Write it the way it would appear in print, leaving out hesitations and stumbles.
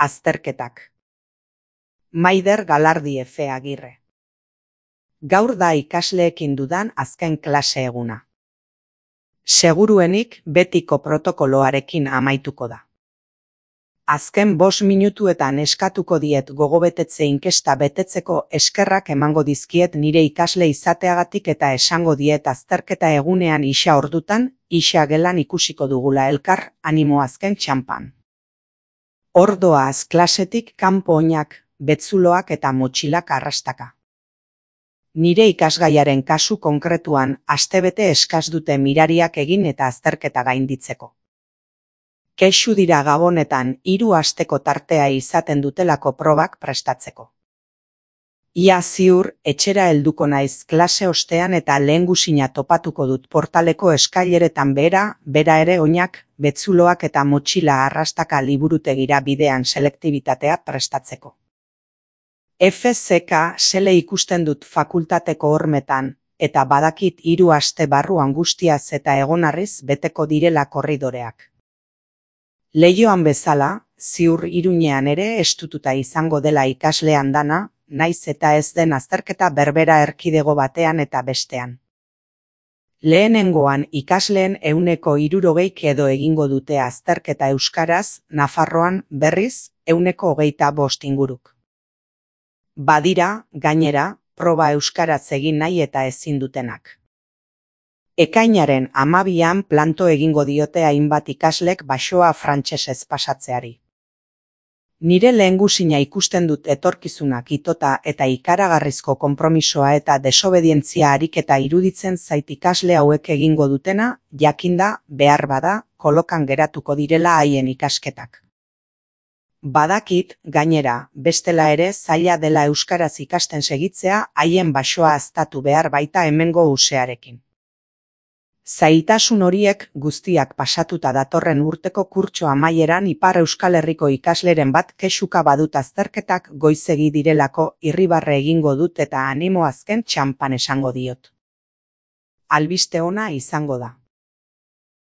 Azterketak. Maider Galardi Efe Agirre. Gaur da ikasleekin dudan azken klase eguna. Seguruenik betiko protokoloarekin amaituko da. Azken 5 minutuetan eskatuko diet gogobetetze inkesta betetzeko eskerrak emango dizkiet nire ikasle izateagatik eta esango diet azterketa egunean isa ordutan, isa gelan ikusiko dugula elkar, animo azken txanpan. Ordoaz klasetik kanpo oinak, betzuloak eta motxilak arrastaka. Nire ikasgaiaren kasu konkretuan astebete eskas dute mirariak egin eta azterketa gainditzeko. Kexu dira gabonetan 3 asteko tartea izaten dutelako probak prestatzeko. Ia ziur etxera helduko naiz klase ostean eta lehengusina topatuko dut portaleko eskaileretan bera ere oinak, betzuloak eta motxila arrastaka liburutegira bidean selektibitatea prestatzeko. FZK sele ikusten dut fakultateko hormetan, eta badakit 3 aste barruan guztiaz eta egonarriz beteko direla korridoreak. Leioan bezala, ziur Iruñean ere estututa izango dela ikaslean dana, naiz eta ez den azterketa berbera erkidego batean eta bestean. Lehenengoan ikasleen 60 edo egingo dute azterketa euskaraz, Nafarroan berriz 25 inguruk. Badira, gainera, proba euskaraz egin nahi eta ezin dutenak. Ekainaren 12an planto egingo diote hainbat ikaslek baxoa frantsesez pasatzeari. Nire lehengusina ikusten dut etorkizunak itota eta ikaragarrizko konpromisoa eta desobedientzia ariketa iruditzen zait ikasle hauek egingo dutena, jakinda, behar bada, kolokan geratuko direla haien ikasketak. Badakit, gainera, bestela ere zaila dela euskaraz ikasten segitzea haien baxoa haztatu behar baita hemengo usearekin. Zailtasun horiek guztiak pasatuta datorren urteko kurtso amaieran Ipar Euskal Herriko ikasleren bat kexuka badut azterketak goizegi direlako irribarre egingo dut eta animo azken txanpan esango diot. Albiste ona izango da.